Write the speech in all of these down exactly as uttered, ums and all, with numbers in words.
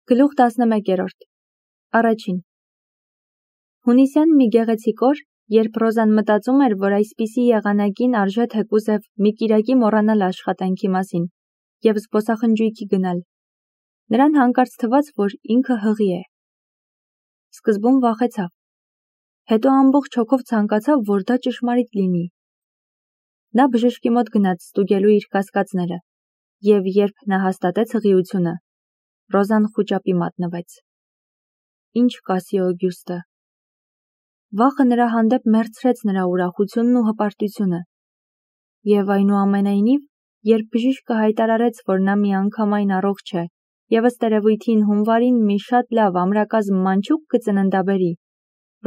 Գլուխ տասնմեկերորդ Առաջին Հունիսյան մի գեղեցիկ օր, երբ Ռոզան մտածում էր, որ այսպիսի եղանակին արժե թեկուզև մի կիրակի մոռանալ աշխատանքի մասին և զբոսախնջույքի գնալ, նրան հանկարծ թվաց, որ ինքը հղի է։ Սկզբում վախեցավ, հետո ամբողջ հոգով ցանկացավ, որ դա ճշմարիտ լինի։ Նա բժշկի մոտ գնաց ստուգելու իր կասկածները, և երբ նա հաստատեց հղիությունը, Ռոզան խուճապի մատնվեց։ Ինչ կասի Օգյուստը։ Վախը նրա հանդեպ մեռցրեց նրա ուրախությունն ու հպարտությունը։ Եվ այնուամենայնիվ, երբ բժիշկը հայտարարեց, որ նա միանգամայն առողջ է, և ըստ երևույթին հունվարին մի շատ լավ ամրակազմ մանչուկ կծննդաբերի,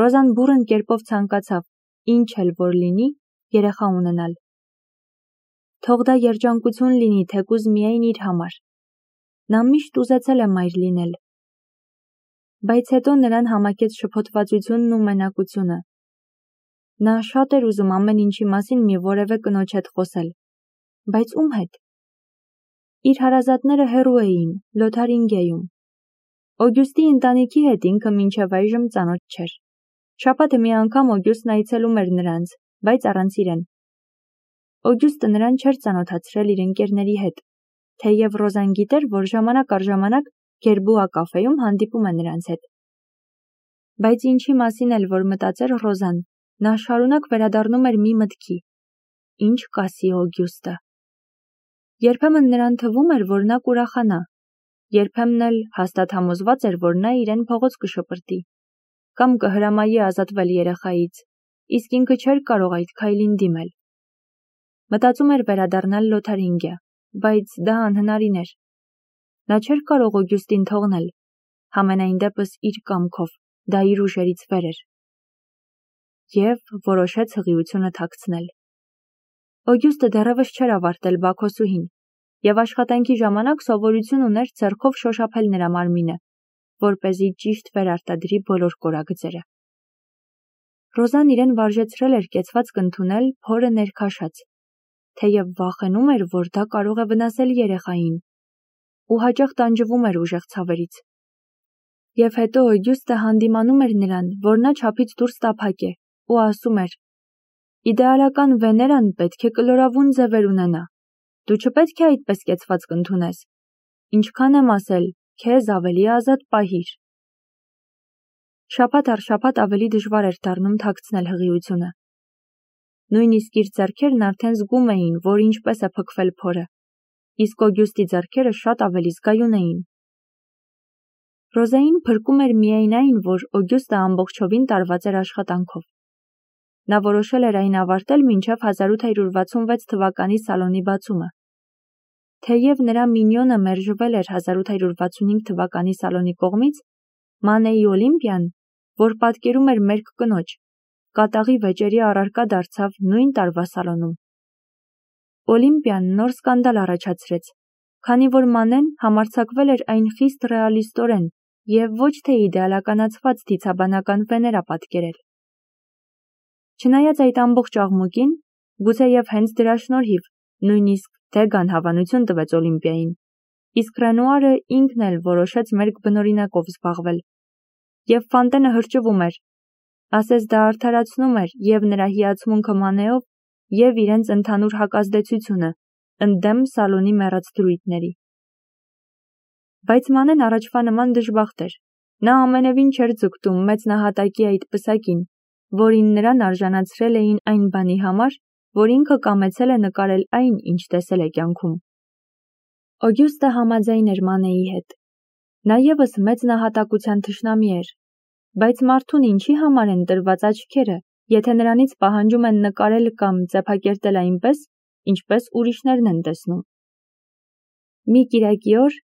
Ռոզան բուռն կերպով ցանկացավ, ինչ էլ որ լինի, երեխա ունենալ։ Թող դա երջանկություն լինի թեկուզ միայն իր համար։ Նա միշտ ուզեցել է մայր լինել։ Բայց հետո նրան համակեց շփոթվածությունն ու մենակությունը։ Նա շատ էր ուզում ամեն ինչի մասին մի որևէ կնոջ հետ խոսել։ Բայց ում հետ։ Իր հարազատները հեռու էին, Լոթարինգիայում։ Օգյուստի ընտանիքի հետ ինքը մինչև այժմ ծանոթ չէր։ Շաբաթը մի անգամ Օգյուստն այցելում էր նրանց, բայց առանց իրեն։ Օգյուստը նրան չէր ծանոթացրել իր ընկերների հետ, թեև Ռոզան գիտեր, որ ժամանակ առ ժամանակ Գերբուա կաֆեում հանդիպում է նրանց հետ։ Բայց ինչի մասին էլ որ մտածեր Ռոզան, նա շարունակ վերադառնում էր մի մտքի. ինչ կասի Օգյուստը։ Երբեմն նրան թվում էր, որ նա կուրախանա, երբեմն էլ հաստատ համոզված էր, որ նա իրեն փողոց կշպրտի, կամ կհրամայի ազատվել երեխայից, իսկ ինքը չէր կարող այդ քայլին դիմել։ Մտածում էր վերադառնալ Լոթարինգիա, բայց դա անհնարին էր։ Նա չէր կարող Օգյուստին թողնել, համենայն դեպս իր կամքով, դա իր ուժերից վեր էր։ Եվ որոշեց հղիությունը թաքցնել։ Օգյուստը դեռևս չէր ավարտել բաքոսուհին, և աշխատանքի ժամանակ սովորություն ուներ ձեռքով շոշափել նրա մարմինը, որպեսզի ճիշտ վերարտադրի բոլոր կորագծերը։ Ռոզան իրեն վարժեցրել էր կեցվածք ընդունել փորը ներքաշած, թեև վախենում էր, որ դա կարող է վնասել երեխային, ու հաճախ տանջվում էր ուժեղ ցավերից։ Եվ հետո Օգյուստը հանդիմանում էր նրան, որ նա չափից դուրս տափակ է, ու ասում էր. «Իդեալական Վեներան պետք է կլորավուն ձևեր ունենա, դու չպետք է այդպես կեցվածք ընդունես, ինչքան եմ ասել, քեզ ավելի ազատ պահիր»։ Շաբաթ առ շաբաթ ավելի դժվար էր դառնում թաքցնել հղիությունը։ Նույնիսկ իր ձեռքերն արդեն զգում էին, որ ինչպես է փքվել փորը, իսկ Օգյուստի ձեռքերը շատ ավելի զգայուն էին։ Ռոզային փրկում էր միայն այն, որ Օգյուստը ամբողջովին տարված էր աշխատանքով։ Նա որոշել էր այն ավարտել մինչև հազար ութ հարյուր վաթսունվեց թվականի սալոնի բացումը։ Թեև նրա մինյոնը մերժվել էր հազար ութ հարյուր վաթսունհինգ թվականի սալոնի կողմից, Մանեի Օլիմպիան, որ պատկերում էր մերկ կնոջ, կատաղի վեճերի առարկա դարձավ նույն տարվա սալոնում։ Օլիմպիան նոր սկանդալ առաջացրեց, քանի որ Մանեն համարձակվել էր այն խիստ ռեալիստորեն և ոչ թե իդեալականացված դիցաբանական Վեներա պատկերել։ Չնայած այդ ամբողջ աղմուկին, գուցեև հենց դրա շնորհիվ, նույնիսկ Դեգան հավանություն տվեց Օլիմպիային, իսկ Ռենուարը ինքն էլ որոշեց մերկ բնօրինակով զբաղվել։ Եվ Ֆանտենը հրճվում էր, ասես դա արդարացնում էր և նրա հիացմունքը Մանեով, և իրենց ընդհանուր հակազդեցությունը, ընդդեմ սալոնի մեռած դրույթների։ Բայց Մանեն առաջվա նման դժբախտ էր։ Նա ամենևին չէր ձգտում մեծ նահատակի այդ պսակին, որին նրան արժանացրել էին այն բանի համար, որ ինքը կամեցել է նկարել այն, ինչ տեսել է կյանքում։ Օգյուստը համաձայն էր Մանեի հետ։ Նա ևս մեծ նահատակության թշնամի էր, բայց մարդուն ինչի համար են տրված աչքերը, եթե նրանից պահանջում են նկարել կամ ծեփակերտել այնպես, ինչպես ուրիշներն են տեսնում։ Մի կիրակի օր,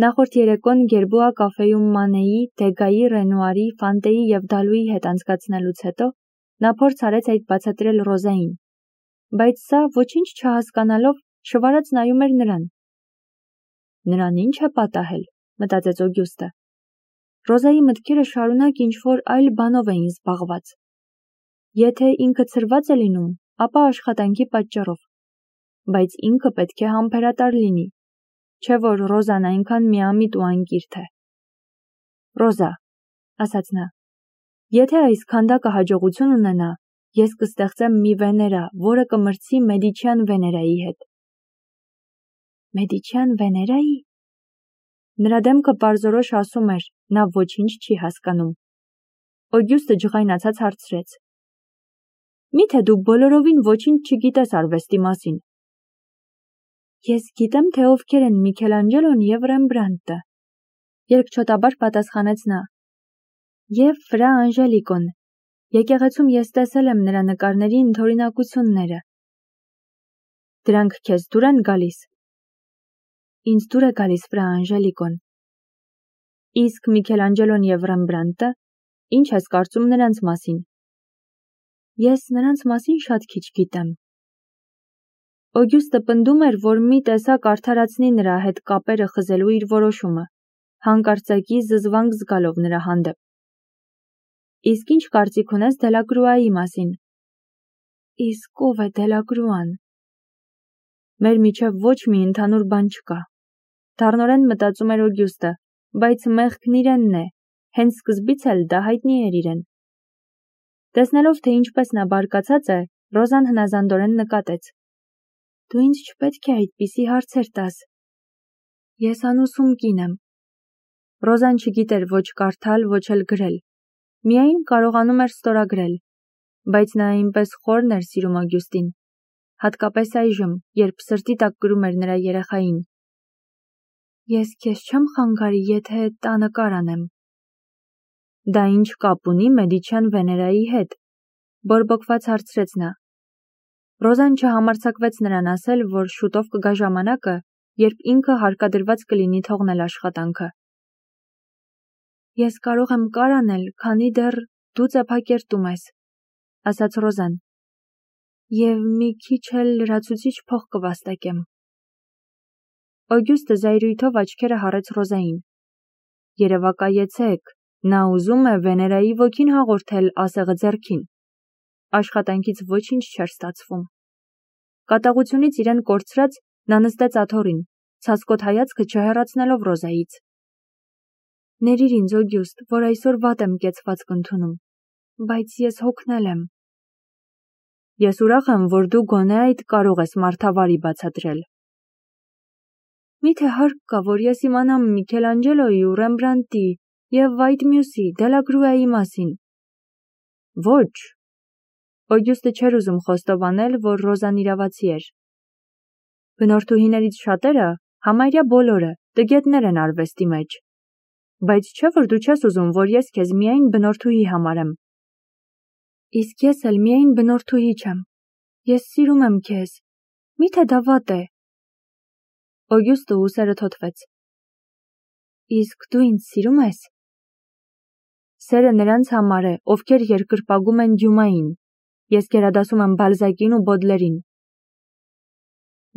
նախորդ երեկոն Գերբուա կաֆեում Մանեի, Դեգայի, Ռենուարի, Ֆանտեի և Դալուի հետ անցկացնելուց հետո, նա փորձ արեց այդ բացատրել Ռոզային, բայց սա, ոչինչ չհասկանալով, շվարած նայում էր նրան։ Նրան ինչ է պատահել, մտածեց Օգյուստը։ Ռոզայի մտքերը շարունակ ինչ-որ այլ բանով էին զբաղված։ Եթե ինքը ցրված է լինում, ապա աշխատանքի պատճառով, բայց ինքը պետք է համբերատար լինի, չէ որ Ռոզան այնքան միամիտ ու անկիրթ է։ Ռոզա, ասաց նա, եթե այս քանդակը հաջողություն ունենա, ես կստեղծեմ մի Վեներա, որը կմրցի Մեդիչյան Վեներայի հետ։ Մեդիչյան Վեներայի։ Նրա դեմքը պարզորոշ ասում էր, նա ոչինչ չի հասկանում։ Օգյուստը ջղայնացած հարցրեց. Միթե դու բոլորովին ոչինչ չգիտես արվեստի մասին։ Ես գիտեմ, թե ովքեր են Միքելանջելոն և Ռեմբրանտը, երկչոտաբար պատասխանեց նա։ Եվ Ֆրա Անժելիկոն, եկեղեցում ես տեսել եմ նրա նկարների ընդօրինակությունները։ Դրանք քեզ դուր են գալիս։ Ինձ դուր է գալիս Ֆրա Անժելիկոն։ Իսկ Միքելանջելոն և Ռեմբրանտը, ինչ ես կարծում նրանց մասին։ Ես նրանց մասին շատ քիչ գիտեմ։ Օգյուստը պնդում էր, որ մի տեսակ արդարացնի նրա հետ կապերը խզելու իր որոշումը, հանկարծակի զզվանք զգալով նրա հանդեպ։ Իսկ ինչ կարծիք ունես Դելակրուայի մասին։ Իսկ ով է Դելակրուան։ Մեր միջև ոչ մի ընդհանուր բան չկա։ Դառնորեն մտածում էր Օգյուստը, բայց մեղքն իրենն է, հենց սկզբից էլ դա հայտնի էր իրեն։ Տեսնելով, թե ինչպես նա բարկացած է, Ռոզան հնազանդորեն նկատեց. Դու ինձ չպետք է այդպիսի հարցեր տաս։ Ես անուսում կին եմ։ Ռոզան չգիտեր ոչ կարդալ, ոչ էլ գրել։ Միայն կարողանում էր ստորագրել, բայց նա այնպես խորն էր սիրում Օգյուստին, հատկապես այժմ, երբ սրտի տակ կրում էր նրա երեխային։ Ես քեզ չեմ խանգարի, եթե տանը կարանեմ։ Դա ինչ կապ ունի Մեդիչյան Վեներայի հետ, բորբոքված հարցրեց նա։ Ռոզան չհամարձակվեց նրան ասել, որ շուտով կգա ժամանակը, երբ ինքը հարկադրված կլինի թողնել աշխատանքը։ Ես կարող եմ կարանել, քանի դեռ դու ծեփակերտում ես, ասաց Ռոզան, և մի քիչ էլ լրացուցիչ փող կվաստակեմ։ Օգյուստը զայրույթով աչքերը հառեց Ռոզային։ Երևակայեցեք, նա ուզում է Վեներայի ոգին հաղորդել ասեղը ձեռքին։ Աշխատանքից ոչինչ չէր ստացվում։ Կատաղությունից իրեն կորցրած, նա նստեց աթոռին, ցասկոտ հայացքը չհեռացնելով Ռոզայից։ Ներիր ինձ, Օգյուստ, որ այսօր վատ եմ կեցվածք ընդունում, բայց ես հոգնել եմ։ Ես ուրախ եմ, որ դու գոնե այդ կարող ես մարդավարի բացատրել։ Միթե հարկ կա, որ ես իմանամ Միքելանջելոյի ու Ռեմբրանտի և այդ մյուսի Դելակրուայի մասին։ Ոչ։ Օգյուստը չէր ուզում խոստովանել, որ Ռոզան իրավացի էր։ Բնորդուհիներից շատերը, համարյա բոլորը, տգետներ են արվեստի մեջ։ Բայց չէ, որ դու չես ուզում, որ ես քեզ միայն բնորդուհի համարեմ։ Իսկ ես էլ միայն բնորդուհի չեմ։ Ես սիրում եմ քեզ։ Միթե դա վատ է։ Օգյուստը ուսերը թոթվեց։ Իսկ դու ինձ սիրում ես։ Սերը նրանց համար է, ովքեր երկրպագում են Դյումային։ Ես գերադասում եմ Բալզակին ու Բոդլերին։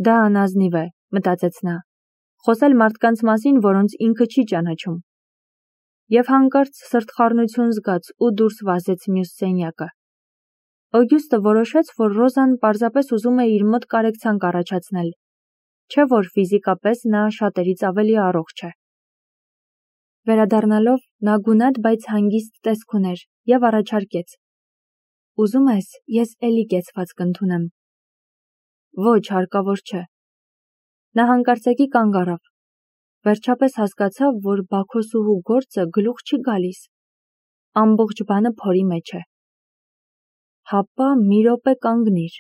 Դա անազնիվ է, մտածեց նա, խոսել մարդկանց մասին, որոնց ինքը չի ճանաչում։ Եվ հանկարծ սրտխառնություն զգաց ու դուրս վազեց մյուս սենյակը։ Օգյուստը որոշեց, որ Ռոզան պարզապես ուզում է իր մոտ կարեկցանք առաջացնել, չէ որ ֆիզիկապես նա շատերից ավելի առողջ է։ Վերադառնալով, նա գունատ, բայց հանգիստ տեսք ուներ և առաջարկեց. Ուզում ես, ես էլի կեցվածք ընդունեմ։ Ոչ, հարկավոր չէ։ Նա հանկարծակի կանգ առավ։ Վերջապես հասկացավ, որ Բաքոսուհու գործը գլուխ չի գալիս։ Ամբողջ բանը փորի մեջ է։ Հապա մի րոպե կանգնիր։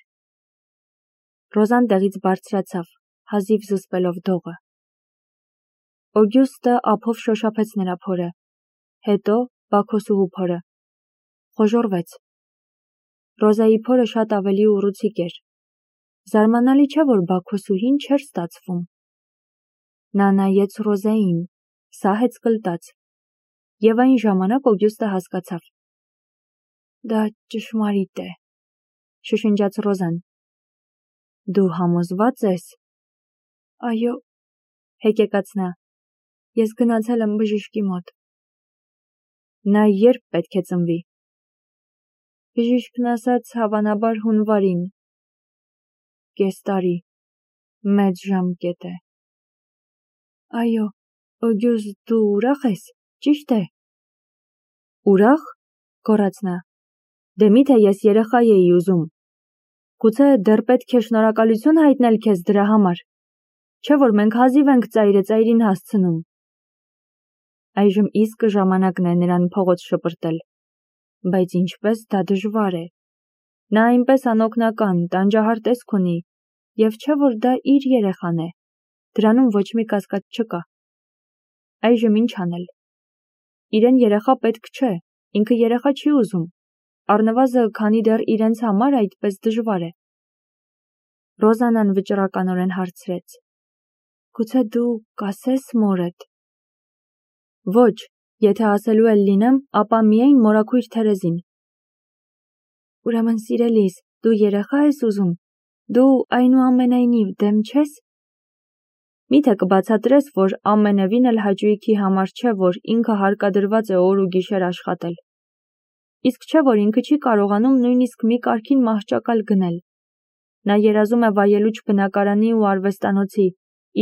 Ռոզան տեղից բարձրացավ, հազիվ զսպելով դողը։ Օգյուստը ափով շոշափեց նրա փորը, հետո Բաքոսուհու փորը։ Խոժոռվեց։ Ռոզայի փորը շատ ավելի ուռուցիկ էր։ Զարմանալի չէ, որ Բաքոսուհին չէր ստացվում։ Նա նայեց Ռոզային, սահեց կլտած, և այն ժամանակ Օգյուստը հասկացավ։ Դա ճշմարիտ է, շշնջաց Ռոզան։ Դու համոզվա՞ծ ես։ Այո, հեկեկաց նա, ես գնացել եմ բժշկի մոտ։ Նա երբ պետք է ծնվի։ Բժիշկն ասաց, հավանաբար հունվարին։ Կես տարի, մեծ ժամկետ է։ Այո, Օգյուստ, դու ուրախ ես, ճիշտ է։ Ուրախ, գոռաց նա, դե միթե ես երեխա էի ուզում, գուցե դեռ պետք է շնորհակալություն հայտնել քեզ դրա համար, չէ որ մենք հազիվ ենք ծայրը ծայրին հասցնում։ Այժմ իսկ ժամանակն է նրան փողոց շպրտել, բայց ինչպես դա դժվար է։ Նա այնպես անօգնական, տանջահար տեսք ունի, և չէ որ դա իր երեխան է, դրանում ոչ մի կասկած չկա։ Այժմ ինչ անել։ Իրեն երեխա պետք չէ, ինքը երեխա չի ուզում, առնվազն քանի դեռ իրենց համար այդպես դժվար է։ Ռոզանան վճռականորեն հարցրեց. Գուցե դու կասես մորդ։ Ոչ, եթե ասելու էլ լինեմ, ապա միայն մորաքույր Թերեզին։ Ուրեմն սիրելիս, դու երեխա ես ուզում, դու այնուամենայնիվ դեմ չես։ Միթե կբացատրես, որ ամենևին էլ հաճույքի համար չէ, որ ինքը հարկադրված է օր ու գիշեր աշխատել։ Իսկ չէ որ ինքը չի կարողանում նույնիսկ մի կարգին մահճակալ գնել։ Նա երազում է վայելուչ բնակարանի ու արվեստանոցի,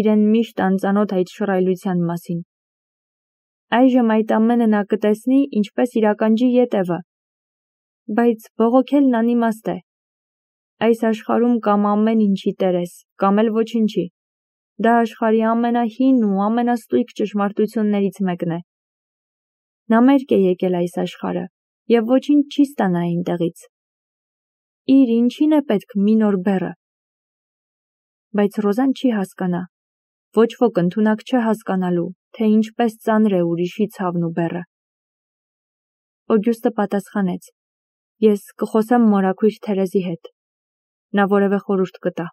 իրեն միշտ անծանոթ այդ շռայլության մասին։ Այժմ այդ ամենը նա կտեսնի, ինչպես իր ականջի ետևը։ Բայց բողոքելն անիմաստ է։ Այս աշխարհում կամ ամեն ինչի տեր ես, կամ էլ ոչինչի։ Դա աշխարհի ամենահին ու ամենաստույգ ճշմարտություններից մեկն է։ Նա մերկ է եկել այս աշխարհը, և ոչինչ չի ստանա այնտեղից։ Իր ինչին է պետք մի նոր բեռը։ Բայց Ռոզան չի հասկանա։ Ոչ ոք ընդունակ չէ հասկանալու, թե ինչպես ծանր է ուրիշի ցավն ու բեռը։ Օգյուստը պատասխանեց. Ես կխոսեմ մորաքույր Թերեզի հետ։ Նա որևէ խորհուրդ կտա։